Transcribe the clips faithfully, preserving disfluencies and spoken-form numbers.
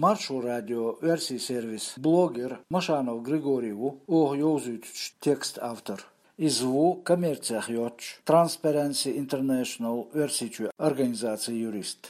Маршо радио оьрсийн сервисан блогер Машанов Григорий ву оха йовзуьйтучу текстан автор. Иза ву коммерцех йоцчу Transparency International Оьрсийчоь организацин юрист.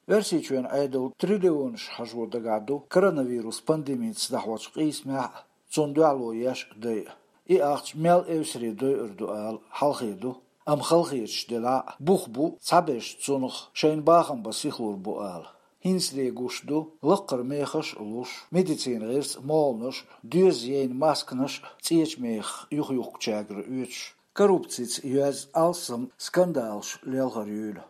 Оьрсийчоьнан Ӏедал триллионаш хьажо дагахь ду коронавирус пандемица дӀахьочу къийсамехь а, цунна дуьхьало еш а дайа. И ахча мел эвсаре дойур ду ала хьалхе ду, амма халахеташ делахь а, бух бу цхьаберш цунах шайна бахам бан сихалур бу ала. ХӀинца де гуш ду, лаккхара мехаш а луш, медицинан гӀирс а, молханаш а, доьзна яйна масканаш а цӀечу мехах юхаюхкучаьргара оьцуш, коррупцица йоьзна алсам скандалаш лелхар юйла.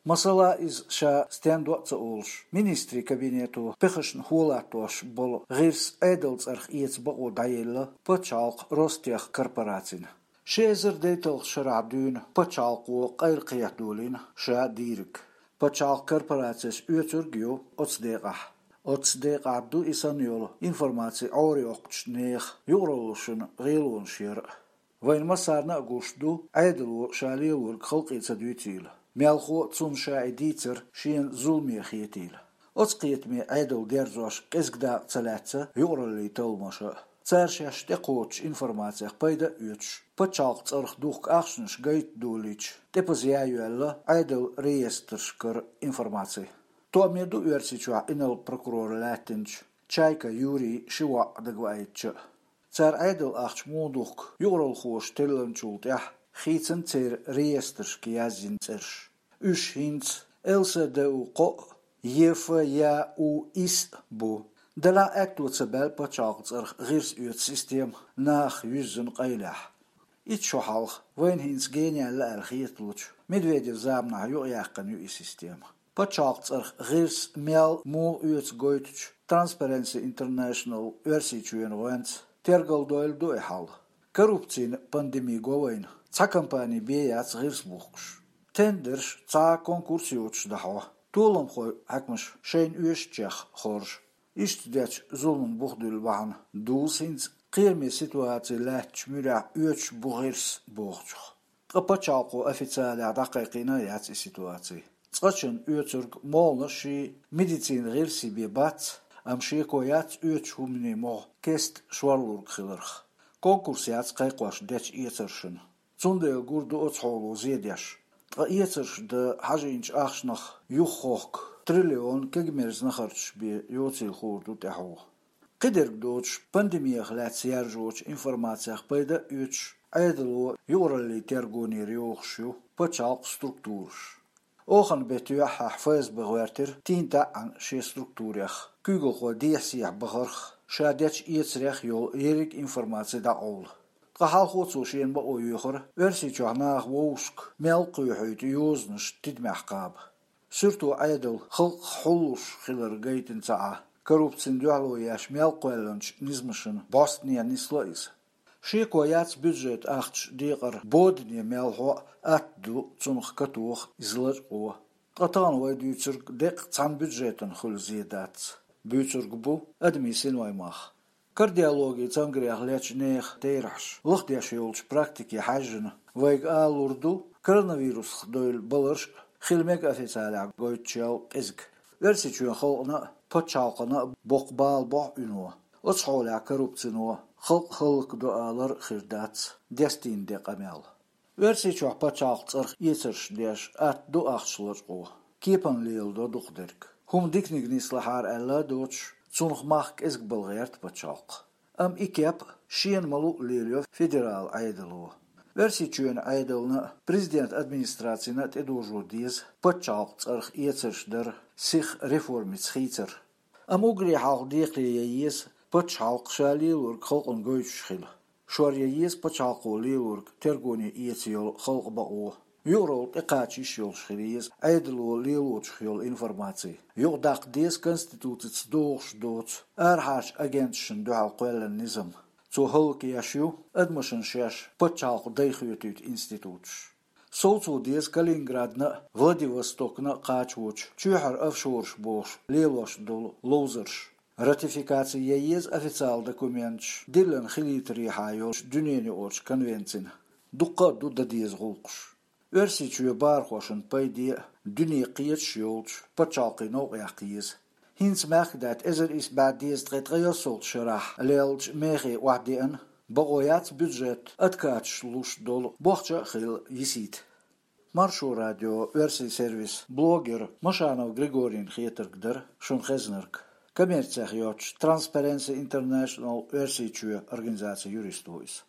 Масала, иза ша стен до а ца олуш, министрийн кабинето пехашна хӀоттош болу гӀирс Ӏедалан цӀарах эца бакъо дӀаелла пачхьалкхан Ростех корпорацина. Ши эзар дейтталгӀачу шарахь дуьйна пачхьалкхо къайлакхетадолийна ша дийриг. Пачхьалкхан корпорацеш оьцург а ю оцу декъехь. Оцу декъехь ду и санна йолу информаци Ӏорайоккхучу нехан юкъараллашна гӀелонаш яр а. Вайна массарна а гуш ду, Ӏедало ша лелорг халкъе ца дуьйцийла. Мелхо а цунна ша и дийцар шена зуламе хетийла. Оцу кхетаме Ӏедал дерзош кӀезиг дакъа ца лаьцна юкъараллин талламаша а. Цара шаьш тӀекхочучу информацех пайда а оьцуш, пачхьалкхан цӀарах духку ахчанаш гайта долийча, тӀепаза яйоьлла Ӏедалан реестрашкара информаци. Тоаме ду Оьрсийчохь инарла прокурор лаьттинчу Чайка Юрин ши воӀ дагаваийтича а. Цара Ӏедалан ахча муха духку юкъараллхоша теллинчул тӀаьхьа хийцина церан реестрашка яздина цӀераш. Уьш хӀинца Л С Д У кхоъ а, Е Ф Я У ис а бу. Делахь а аьтто ца баьлла пачхьалкхан цӀарах гӀирс оьцу система нахах юьззина къайлехь. Итт шо хьалха, вайна хӀинца генаяьлла аьлла хеталучу Медведевн заманахь юкъаяьккхина ю и система. Пачхьалкхан цӀарах гӀирс мел, муха оьцу гойтучу Transparency International Оьрсийчоьнан гӀоьнца тергалдойла ду и хьал. Коррупцин пандеми го вайна, цхьа компани бен яц гӀирс бухкуш. Тендерш цхьа а конкурс йоцуш дӀахьо, толамхой, хьаькамаш шайна оьшучех хоржу. Иштта дечу зуламан бух дуьллу бахьана дузу хӀинца кхераме ситуаци лаьттачу муьрехь оьцуш бу гӀирс бохучух. Ткъа пачхьалкхо официалехь дӀакхайкхийна а яц и ситуаци. Цкъачунна оьцург молханашший, медицинан гӀирсий бен бац, амма шеко яц оьцучу хӀуманийн могӀа кеста шорлург хиларх. Конкурс яц кхайкхош дечу эцаршна. Цундела гур ду оцу хьоло зе деш. Ткъа эцарш дан хьажийначу ахчанах юхахохку триллион кегамерза нахарчаш бен йоцийла хуур ду тӀаьхьо. Кхидерг доцуш, пандемих лаьцна яржочу информацех пайда а оьцуш, Ӏедало юкъараллин тергонера йохуш ю пачхьалкхан структураш. Оханан беттан юьххьехь Ф С Б гӀоьртира тийна таӀӀана шен структурех, куьйгалхой дехьа-сехьа бахарх, ша дечу эцарех йолу ерриг информаци дӀакъовла. Ткъа хьалхо цо шена бакъо йоьхура Оьрсийчохь наха вовшашка мел кхоьхьуьйту йозанаш тидамехь кхаба. Суьрто Ӏедал халкъах хьуллуш хилар гайтина ца Ӏа, коррупцина дуьхьало еш мел кхоьллинчу низамашна бӀостанехьа нисло иза. Шеко яц бюджетан ахча декъар бодане мел хьо а, атта ду цунах катоха иза лачкъо. Ткъа тахана вай дуьйцург деккъа цхьана бюджетана хуьлу зе дац. Буьйцург бу адамийн синоймах. Кардиологин цамгарех лечу нехан терахьаш лахдеш йолчу практике хьаьжжина, вайга алалур ду, коронавирусах девлла баларш а хила мега официалехь гойтучул кӀезиг. Оьрсийчоьнан халкъана а, пачхьалкхана а боккха бала бохьу уьно. Оцу хьолехь коррупцино халкъ хӀаллакдо алар а хир дац дестийна де къамел. Оьрсийчохь пачхьалкхан цӀарах эцарш деш атта ду ахча лачкъо. Кепана леладо дукхахдерг. ХӀума диканиг нислахьара аьлла а доцуш, цунах мах кӀезиг бала гӀерта пачхьалкх. Амма и кеп шена ма-луъу лелайо федералан Ӏедало. Оьрсийчоьнан Ӏедална а, президентан администрацина а тӀедожо деза пачхьалкхан цӀарах эцарш дар сиха реформица хийцар. Амма уггаре хьалха декхаре ян еза пачхьалкх ша лелорг халкъана гойтуш хила. Шор ян еза пачхьалкхо лелорг тергоне эца йолу халкъан бакъо. Юкъаралла тӀекхача йиш йолуш хила еза Ӏедало лелочух йолу информаци. Юкъадаккха деза Конституцица догӀуш доцу арахьарчу агенташна дуьхьал кхоьллина низам. Цо хӀаллакъеш ю адамашна шаьш пачхьалкхан дай хоьтуьйту институташ. Совцо деза Калининградна а, Владивостокна а кхачавочу чоьхьара офшораш бохуш лелош долу ловзарш. Ратификаци ян еза официалан документаш диллина хилийтарехьа йолчу дуьненаюкъарчу конвенцина. Дуккха а ду дан деза гӀуллакхаш. Оьрсийчоьнан бахархошна пайде а, дуьне кхеташ а йолчу пачхьалкхийн новкъа яккха еза. ХӀинца мехкдаьтта эзар исс бӀаь дезткъе ткъайоьсналгӀача шарахь лелача мехе охьадеана, бакъо яц бюджет откаташ луш долу бохча а хилла йисийта. Маршо радион оьрсийн сервисан блогер Машанов Григорийна хетарг дара шуна хезнарг, коммерцех йоцчу Transparency International оьрсийн чоь организацин юрист ву иза.